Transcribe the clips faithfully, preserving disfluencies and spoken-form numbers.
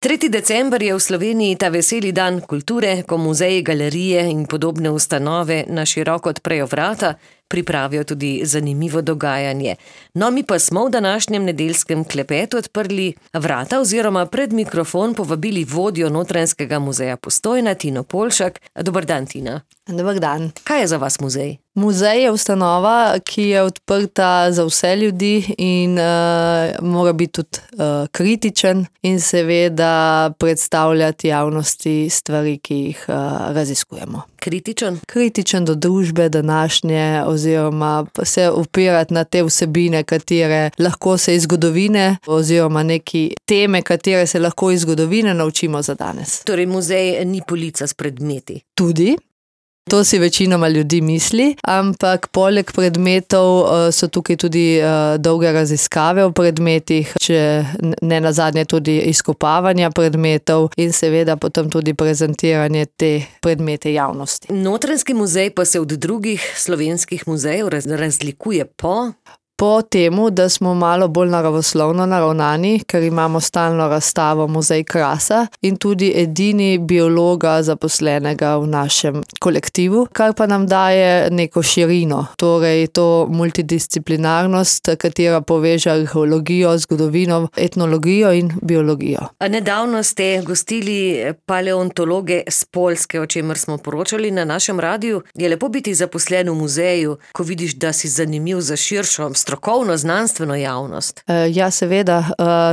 tretji december je v Sloveniji ta veseli dan kulture, ko muzeji, galerije in podobne ustanove na široko odprejo vrata, pripravijo tudi zanimivo dogajanje. No, mi pa smo v današnjem nedeljskem klepetu odprli vrata oziroma pred mikrofon povabili vodjo Notranjskega muzeja Postojna, Tino Poljšak. Dober dan, Tina. Dober dan. Kaj je za vas muzej? Muzej je ustanova, ki je odprta za vse ljudi in uh, mora biti tudi uh, kritičen in seveda predstavljati javnosti stvari, ki jih uh, raziskujemo. Kritičen? Kritičen do družbe današnje oziroma se upirati na te vsebine, katere lahko se iz zgodovine oziroma neki teme, katere se lahko iz zgodovine naučimo za danes. Torej muzej ni polica s predmeti? Tudi. To si večinoma ljudi misli, ampak poleg predmetov so tukaj tudi dolge raziskave o predmetih, če ne nazadnje tudi izkopavanja predmetov in seveda potem tudi prezentiranje te predmete javnosti. Notranjski muzej pa se od drugih slovenskih muzejev razlikuje po... Po temu, da smo malo bolj naravoslovno naravnani, ker imamo stalno razstavo Muzej krasa in tudi edini biologa zaposlenega v našem kolektivu, kar pa nam daje neko širino, torej to multidisciplinarnost, katera poveže arheologijo, zgodovino, etnologijo in biologijo. A nedavno ste gostili paleontologe z Poljske, o čemer smo poročali na našem radiju. Je lepo biti zaposlen v muzeju, ko vidiš, da si zanimiv za širšo strokovno, znanstveno javnost? Ja, seveda,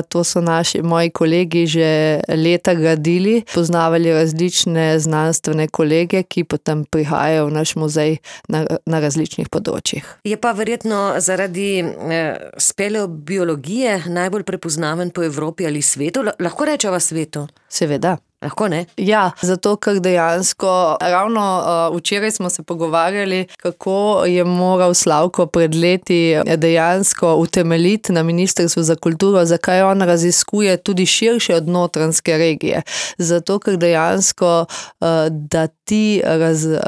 to so naši, moji kolegi že leta gradili, poznavali različne znanstvene kolege, ki potem prihajajo v naš muzej na, na različnih področjih. Je pa verjetno zaradi eh, speleobiologije najbolj prepoznaven po Evropi ali svetu? Lahko rečeva svetu? Seveda. Lahko ne? Ja, zato ker dejansko, ravno uh, včeraj smo se pogovarjali, kako je moral Slavko pred leti dejansko utemeljiti na Ministrstvu za kulturo, zakaj on raziskuje tudi širše od notranjske regije. Zato ker dejansko, uh, da ti raz, uh,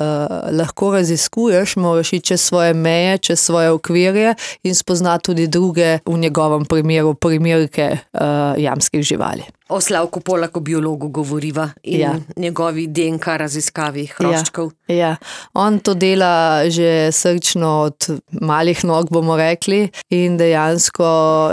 lahko raziskuješ, moraš iti čez svoje meje, čez svoje okvirje in spoznati tudi druge, v njegovem primeru, primerke uh, jamskih živali. O Slavku Polaku, biologu, govoriva in ja. njegovi D N K raziskavi hroščkov. Ja, ja, on to dela že srčno od malih nog, bomo rekli, in dejansko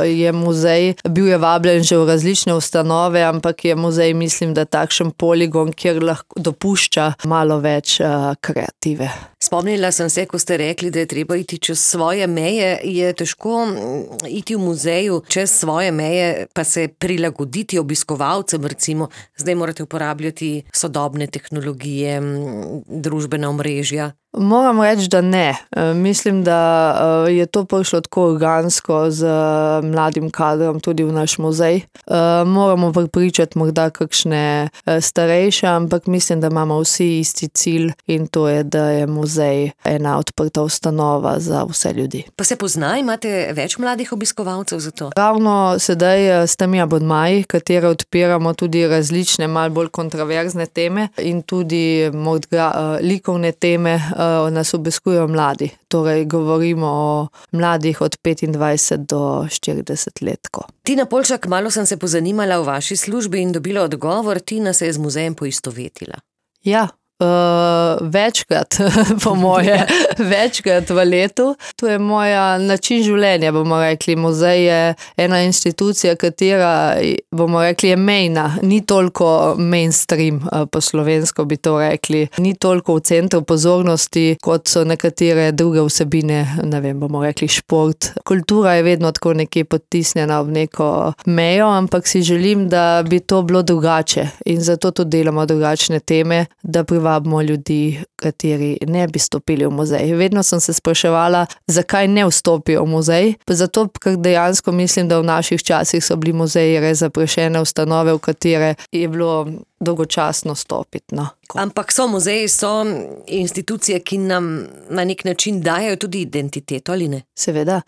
je muzej, bil je vabljen že v različne ustanove, ampak je muzej, mislim, da takšen poligon, kjer lahko dopušča malo več uh, kreative. Spomnila sem se, ko ste rekli, da je treba iti čez svoje meje. Je težko iti v muzeju čez svoje meje, pa se prilagoditi obiskovalcem, recimo. Zdaj morate uporabljati sodobne tehnologije, družbena omrežja. Moram reči, da ne. Mislim, da je to prišlo tako organsko z mladim kadrom tudi v naš muzej. Moramo pripričati morda kakšne starejše, ampak mislim, da imamo vsi isti cilj in to je, da je muzej ena odprta ustanova za vse ljudi. Pa se pozna, imate več mladih obiskovalcev za to? Ravno sedaj s temi abonmaji, katere odpiramo tudi različne, malo bolj kontroverzne teme in tudi morda likovne teme, nas obiskujejo mladi. Torej, govorimo o mladih od petindvajset do štirideset let. Tina Poljšak, malo sem se pozanimala o vaši službi in dobila odgovor, Tina se je z muzejem poistovetila. Ja. Uh, večkrat, po moje, večkrat v letu. To je moja način življenja, bomo rekli. Muzej je ena institucija, katera, bomo rekli, je mejna. Ni toliko mainstream, po slovensko bi to rekli. Ni toliko v centru pozornosti, kot so nekatere druge vsebine, ne vem, bomo rekli šport. Kultura je vedno tako nekje potisnjena v neko mejo, ampak si želim, da bi to bilo drugače. In zato tudi delamo drugačne teme, da privabimo ljudi, kateri ne bi stopili v muzej. Vedno sem se spraševala, zakaj ne vstopijo v muzej. Zato, ker dejansko mislim, da v naših časih so bili muzeji res zaprašene ustanove, v katere je bilo dolgočasno stopiti. No. Ampak so muzeji, so institucije, ki nam na nek način dajo tudi identiteto, ali ne? Seveda.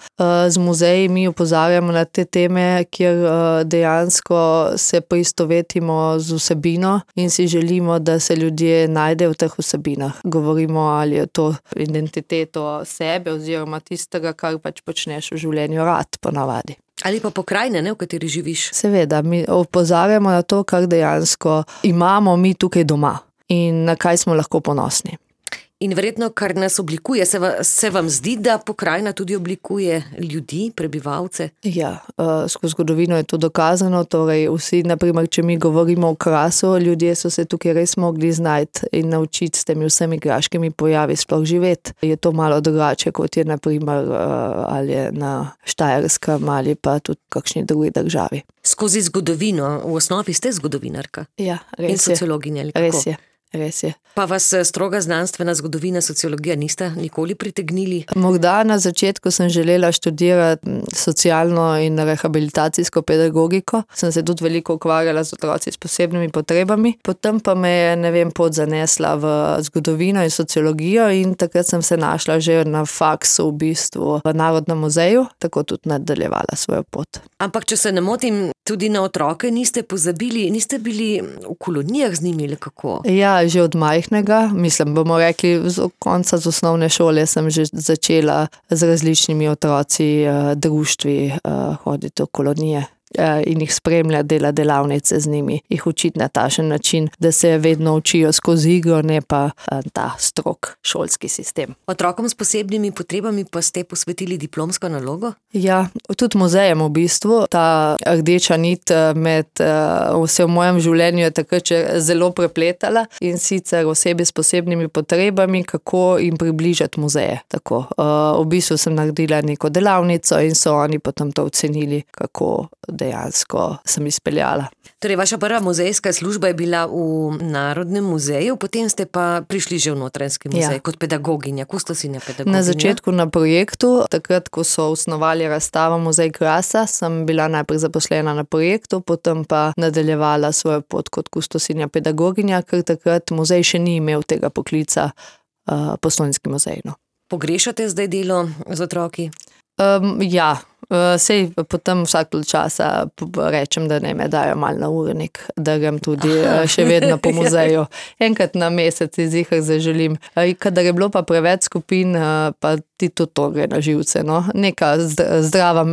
Z muzeji mi opozarjamo na te teme, kjer dejansko se poistovetimo z vsebino in si želimo, da se ljudje najdejo v teh vsebinah. Govorimo, ali je to identiteto sebe oziroma tistega, kar pač počneš v življenju rad, ponavadi. Ali pa pokrajine, ne, v kateri živiš. Seveda, mi opozarjamo na to, kar dejansko imamo mi tukaj doma in na kaj smo lahko ponosni. In verjetno, kar nas oblikuje, se, va, se vam zdi, da pokrajina tudi oblikuje ljudi, prebivalce? Ja, uh, skozi zgodovino je to dokazano, torej vsi, naprimer, če mi govorimo o Krasu, ljudje so se tukaj res mogli znajti in naučiti s temi vsemi graškimi pojavi sploh živeti. Je to malo drugače, kot je naprimer uh, ali je na Štajerskem ali pa tudi v kakšni drugi državi. Skozi zgodovino, v osnovi ste zgodovinarka? Ja, res in sociologinja, ali kako? Res je. Res je. Pa vas stroga znanstvena zgodovina, sociologija nista nikoli pritegnili? Morda na začetku sem želela študirati socialno in rehabilitacijsko pedagogiko. Sem se tudi veliko ukvarjala z otroci s posebnimi potrebami. Potem pa me je, ne vem, pot zanesla v zgodovino in sociologijo in takrat sem se našla že na faksu v bistvu v Narodnem muzeju, tako tudi nadaljevala svojo pot. Ampak, če se ne motim, tudi na otroke niste pozabili, niste bili v kolonijah z njimi, ali kako? Ja, že od majhnega, mislim, bomo rekli, z konca z osnovne šole sem že začela z različnimi otroci, društvi hoditi v kolonije in jih spremlja, dela delavnice z njimi, jih učiti na takšen način, da se vedno učijo skozi igro, ne pa ta strog šolski sistem. Otrokom s posebnimi potrebami pa ste posvetili diplomsko nalogo? Ja, tudi muzejem v bistvu. Ta rdeča nit med vse v mojem življenju je takrat zelo prepletala in sicer osebi s posebnimi potrebami, kako jim približati muzeje. Tako, v bistvu sem naredila neko delavnico in so oni potem to ocenili, kako dejansko sem izpeljala. Torej, vaša prva muzejska služba je bila v Narodnem muzeju, potem ste pa prišli že v Notranjski muzej, ja, kot pedagoginja, kustosinja pedagoginja. Na začetku na projektu, takrat, ko so osnovali razstavo Muzej Krasa, sem bila najprej zaposlena na projektu, potem pa nadaljevala svojo pot kot kustosinja pedagoginja, ker takrat muzej še ni imel tega poklica uh, Postojnski muzej. No. Pogrešate zdaj delo z otroki? Um, ja, sej potem vsak časa rečem, da ne me dajo malo na urnik, da grem tudi Aha. še vedno po muzeju. Enkrat na mesec izihar zaželim. Kadar je bilo pa preveč skupin, pa ti tudi to gre na živce. No? Neka zdrava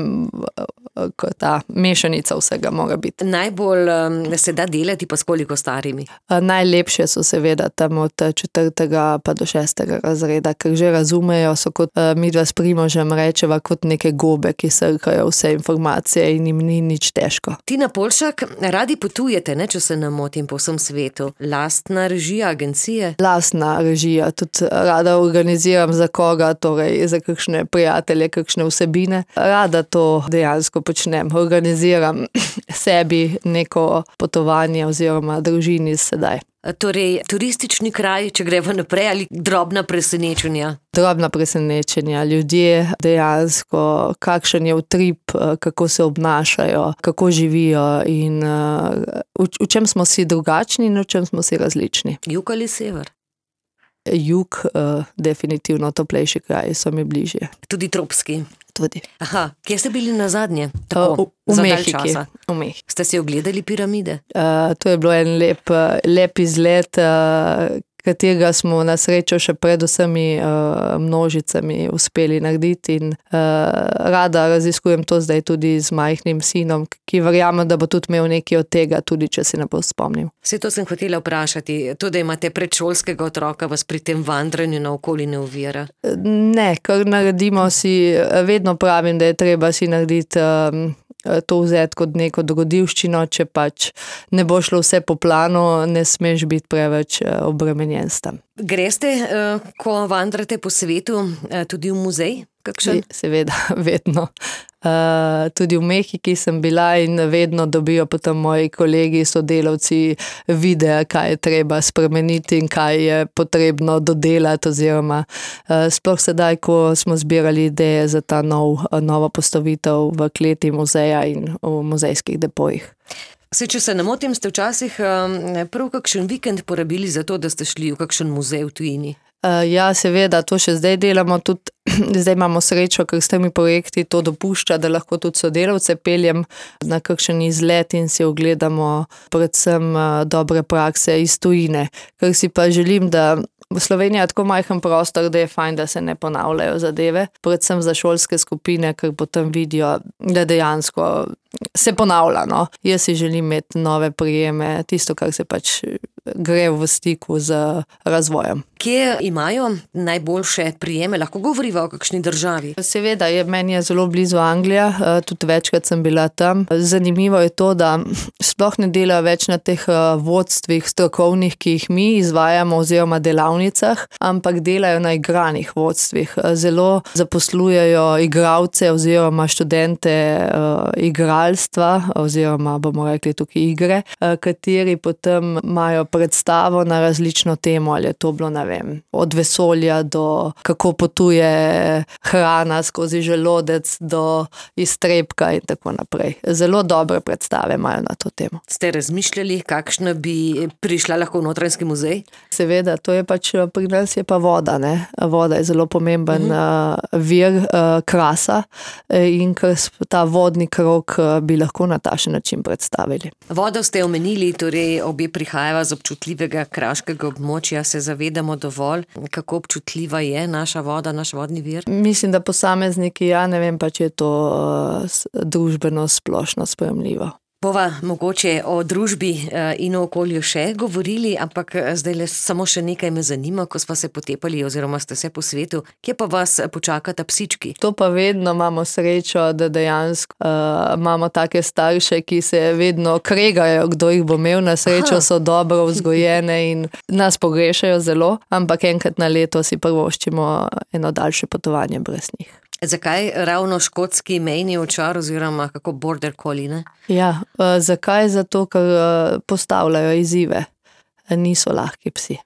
ta mešanica vsega mora biti. Najbolj se da delati pa s koliko starimi? Najlepše so seveda tam od četrtega pa do šestega razreda, ker že razumejo, so kot midva s Primožem rečeva, kot neke gobe, ki srkajo vse informacije in jim ni nič težko. Tina Polšak, radi potujete, ne, če se ne motim, po vsem svetu. Lastna režija, agencije? Lastna režija, tudi rada organiziram za koga, torej za kakšne prijatelje, kakšne vsebine. Rada to dejansko počnem, organiziram sebi neko potovanje oziroma družini sedaj. Torej, turistični kraj, če greva naprej, ali drobna presenečenja? Drobna presenečenja, ljudje dejansko, kakšen je utrip, kako se obnašajo, kako živijo in v, v čem smo si drugačni in v čem smo si različni. Jug ali sever? Jug, definitivno toplejši kraji so mi bližje. Tudi tropski? Tudi. Aha, kje ste bili nazadnje? Tako, v Mehiki. V Mehiki. Ste si ogledali piramide? Uh, to je bilo en lep, lep izlet, uh, katerega smo na srečo še pred vsemi uh, množicami uspeli narediti in uh, rada raziskujem to zdaj tudi z majhnim sinom, ki verjamem, da bo tudi imel nekaj od tega, tudi če se ne bo spomnil. Vse to sem hotela vprašati, to, da imate predšolskega otroka, vas pri tem vandranju naokoli ne ovira? Ne, kar naredimo si, vedno pravim, da je treba si narediti um, to vzeti kot neko dogodivščino, če pač ne bo šlo vse po planu, ne smeš biti preveč obremenjen s tem. Greste, ko vandrate po svetu, tudi v muzej? Kakšen? Seveda, vedno. Uh, tudi v Mehiki sem bila in vedno dobijo potem moji kolegi, sodelavci videa, kaj je treba spremeniti in kaj je potrebno dodelati oziroma uh, sploh sedaj, ko smo zbirali ideje za ta nov, novo postavitev v kleti muzeja in v muzejskih depojih. Se, če se ne motim, ste včasih um, prav kakšen vikend porabili za to, da ste šli v kakšen muzej v tujini? Uh, ja, seveda, to še zdaj delamo, tudi zdaj imamo srečo, ker s temi projekti to dopušča, da lahko tudi sodelavce peljem na kakšen izlet in si ogledamo predvsem uh, dobre prakse iz tujine. Ker si pa želim, da Slovenija je tako majhen prostor, da je fajn, da se ne ponavljajo zadeve, predvsem za šolske skupine, ker potem vidijo, da dejansko se ponavlja. No. Jaz si želim imeti nove prijeme, tisto, kar se pač gre v stiku z razvojem. Kje imajo najboljše prijeme? Lahko govoriva o kakšni državi? Seveda, je, meni je zelo blizu Anglija, tudi večkrat sem bila tam. Zanimivo je to, da sploh ne delajo več na teh vodstvih strokovnih, ki jih mi izvajamo oziroma delavnicah, ampak delajo na igranih vodstvih. Zelo zaposlujejo igralce oziroma študente uh, igralstva oziroma bomo rekli tukaj igre, uh, kateri potem imajo predstavo na različno temo, ali je to bilo, ne vem, od vesolja do kako potuje hrana skozi želodec do iztrebka in tako naprej. Zelo dobre predstave imajo na to temo. Ste razmišljali, kakšna bi prišla lahko v Notranjski muzej? Seveda, to je pač, pri nas je pa voda, ne. Voda je zelo pomemben uh-huh. vir uh, krasa in ker ta vodni krog bi lahko na takšen način predstavili. Vodo ste omenili, torej obe prihajava z občutljivega kraškega območja, se zavedamo dovolj, kako občutljiva je naša voda, naš vodni vir? Mislim, da posamezniki, ja ne vem pa, če je to uh, družbeno splošno sprejemljivo. Bova mogoče o družbi in o okolju še govorili, ampak zdaj le samo še nekaj me zanima, ko smo se potepali oziroma ste se po svetu, kje pa vas počakata psički? To pa vedno imamo srečo, da dejansko uh, imamo take starše, ki se vedno kregajo, kdo jih bo imel, na srečo so dobro vzgojene in nas pogrešajo zelo, ampak enkrat na leto si prvoščimo eno daljše potovanje brez njih. Zakaj ravno škotski mejni ovčar oziroma kako border collie, ne? Ja, uh, zakaj? Zato, ker uh, postavljajo izzive. Niso lahki psi.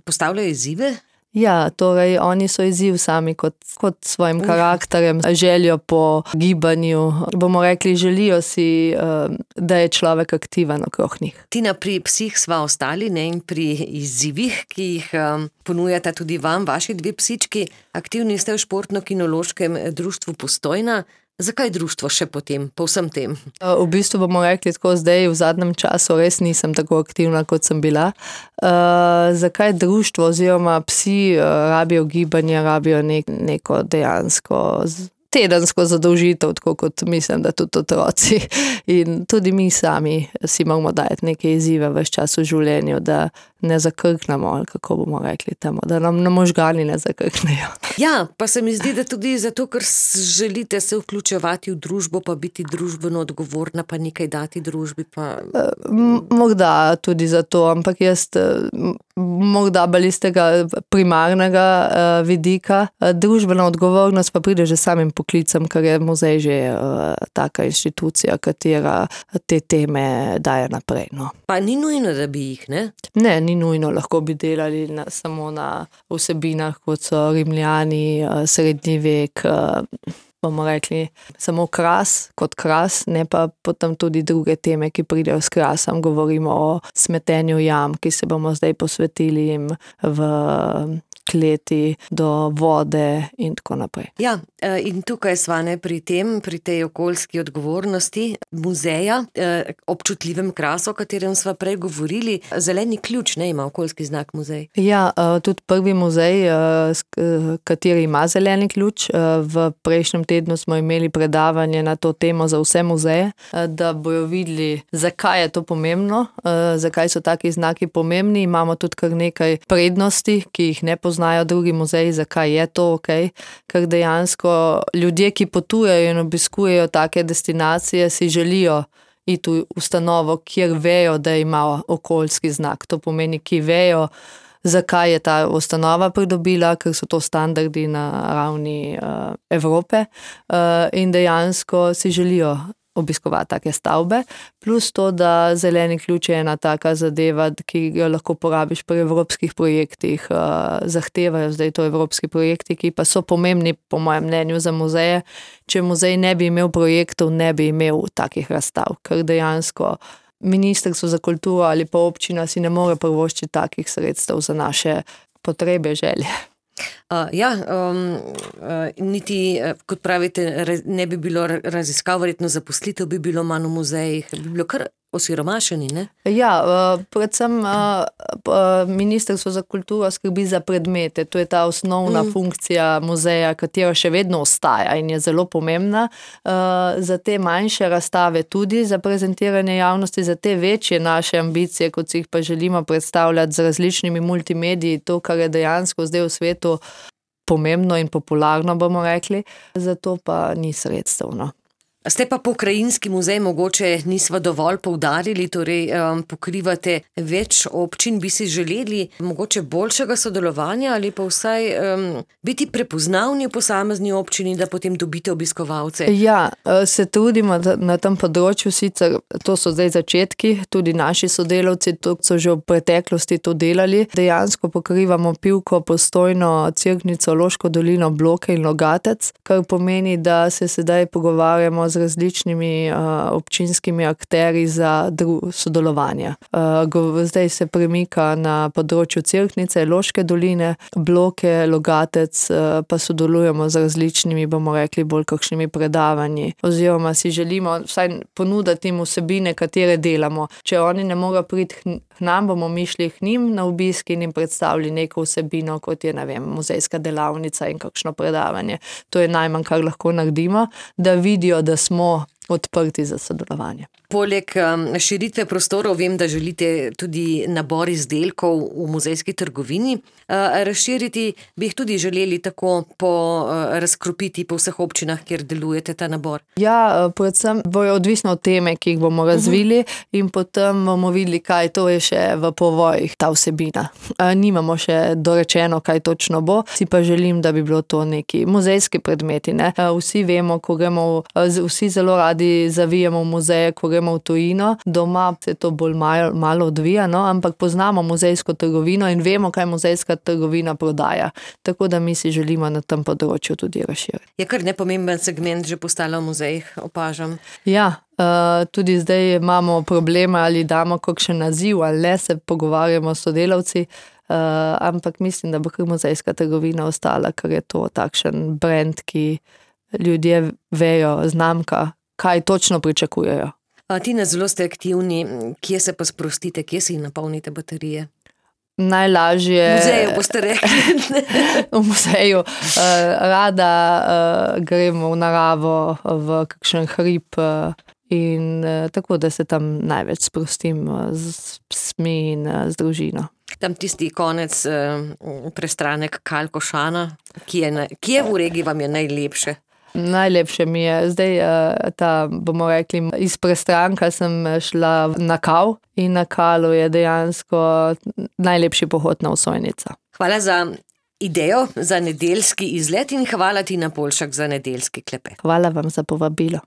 Postavljajo izzive? Ja, torej oni so izziv sami kot, kot svojim karakterjem, željo po gibanju. Bomo rekli, želijo si, uh, da je človek aktiven okrog njih. Tina, pri psih sva ostali, ne, in pri izzivih, ki jih um, ponujata tudi vam, vaši dve psički. Aktivni ste v Športno-kinološkem društvu Postojna. Zakaj društvo še potem, po vsem tem? V bistvu bomo rekli tako, zdaj v zadnjem času res nisem tako aktivna, kot sem bila. Uh, zakaj društvo oziroma psi uh, rabijo gibanje, rabijo nek, neko dejansko tedensko zadolžitev, tako kot mislim, da tudi otroci. In tudi mi sami si moramo dajati neke izzive ves čas v življenju, da ne zakrknemo, ali kako bomo rekli temu, da nam na možgani ne zakrknejo. Ja, pa se mi zdi, da tudi zato, ker želite se vključevati v družbo, pa biti družbeno odgovorna, pa nekaj dati družbi. Pa... Morda tudi zato, ampak jaz morda bolj iz tega primarnega uh, vidika. Družbena odgovornost pa pride že samim poklicem, ker je muzej že uh, taka inštitucija, katera te teme daje naprej. No. Pa ni nujno, da bi jih, ne? Ne, ni nujno, lahko bi delali na, samo na vsebinah, kot so Rimljani, uh, srednji vek, uh, bomo rekli, samo kras kot kras, ne pa potem tudi druge teme, ki pridejo s krasom. Govorimo o smetenju jam, ki se bomo zdaj posvetili jim v kleti, do vode in tako naprej. Ja, in tukaj svane pri tem, pri tej okoljski odgovornosti muzeja, občutljivem krasu, o katerem sva prej govorili. Zeleni ključ, ne, ima okoljski znak muzej. Ja, tudi prvi muzej, kateri ima zeleni ključ. V prejšnjem tednu smo imeli predavanje na to temo za vse muzeje, da bojo videli, zakaj je to pomembno, zakaj so taki znaki pomembni. Imamo tudi kar nekaj prednosti, ki jih ne poznamo, znajo drugi muzeji, zakaj je to ok, ker dejansko ljudje, ki potujejo in obiskujejo take destinacije, si želijo iti v ustanovo, kjer vejo, da ima okoljski znak. To pomeni, ki vejo, zakaj je ta ustanova pridobila, ker so to standardi na ravni uh, Evrope uh, in dejansko si želijo obiskovati take stavbe, plus to, da zeleni ključ je ena taka zadeva, ki jo lahko porabiš pri evropskih projektih, uh, zahtevajo zdaj to evropski projekti, ki pa so pomembni po mojem mnenju za muzeje. Če muzej ne bi imel projektov, ne bi imel takih razstav, ker dejansko Ministrstvo za kulturo ali pa občina si ne more privoščiti takih sredstev za naše potrebe, želje. Uh, ja, um, uh, niti, kot pravite, ne bi bilo raziskav, verjetno zaposlitev bi bilo manj v muzejih, bi bilo kar osiromašeni, ne? Ja, predvsem Ministrstvo za kulturo skrbi za predmete. To je ta osnovna mm. funkcija muzeja, katera še vedno ostaja in je zelo pomembna. Za te manjše razstave tudi, za prezentiranje javnosti, za te večje naše ambicije, kot si jih pa želimo predstavljati z različnimi multimediji, to, kar je dejansko zdaj v svetu pomembno in popularno, bomo rekli, zato pa ni sredstev, no. Ste pa pokrajinski muzej mogoče nisva dovolj poudarili, torej um, pokrivate več občin, bi si želeli mogoče boljšega sodelovanja ali pa vsaj um, biti prepoznavni v posamezni občini, da potem dobite obiskovalce? Ja, se trudimo na tem področju, sicer to so zdaj začetki, tudi naši sodelavci to so že v preteklosti to delali. Dejansko pokrivamo Pivko, Postojno, Cerknico, Loško dolino, Bloke in Logatec, kar pomeni, da se sedaj pogovarjamo z različnimi uh, občinskimi akterji za dru- sodelovanje. Uh, zdaj se premika na področju Cerknice, Loške doline, Bloke, Logatec, uh, pa sodelujemo z različnimi, bomo rekli, bolj kakšnimi predavanji. Oziroma si želimo vsaj ponuditi jim vsebine, katere delamo. Če oni ne morejo priti k nam, bomo mi šli k njim na obisk in jim predstavili neko vsebino, kot je, ne vem, muzejska delavnica in kakšno predavanje. To je najmanj, kar lahko naredimo, da vidijo, da smo odprti za sodelovanje. Poleg um, širitve prostorov vem, da želite tudi nabor izdelkov v muzejski trgovini. Uh, razširiti bi jih tudi želeli tako po uh, razkropiti po vseh občinah, kjer delujete ta nabor. Ja, predvsem bojo odvisno od teme, ki jih bomo razvili uh-huh. in potem bomo videli, kaj to je še v povojih, ta vsebina. Uh, nimamo še dorečeno, kaj točno bo, si pa želim, da bi bilo to neki muzejski predmeti, ne? Uh, vsi vemo, ko gremo, uh, vsi zelo radi zavijamo v muzeje, ko gremo v tujino. Doma se to bolj malo, malo odvija, no? Ampak poznamo muzejsko trgovino in vemo, kaj muzejska trgovina prodaja. Tako da mi si želimo na tem področju tudi razširiti. Je kar nepomemben segment že postala v muzejih, opažam. Ja, uh, tudi zdaj imamo probleme, ali damo kakšen naziv, ali ne, se pogovarjamo s sodelavci. Uh, ampak mislim, da bo kar muzejska trgovina ostala, ker je to takšen brand, ki ljudje vejo, znamka, kaj točno pričakujejo. A ti na zelo ste aktivni, kje se pa sprostite, kje si napolnite baterije? Najlažje... V muzeju boste rekli. V muzeju. Uh, rada uh, gremo v naravo, v kakšen hrib uh, in uh, tako, da se tam največ sprostim uh, z psmi in uh, z družino. Tam tisti konec uh, prestranek Kalkošana, ki je, na, ki je v regiji vam je najlepše? Najlepše mi je. Zdaj, ta, bomo rekli, iz prestranka sem šla na Kav in na Kalu je dejansko najlepši pohod na Osojnico. Hvala za idejo, za nedeljski izlet in hvala ti na Poljšak za nedeljski klepet. Hvala vam za povabilo.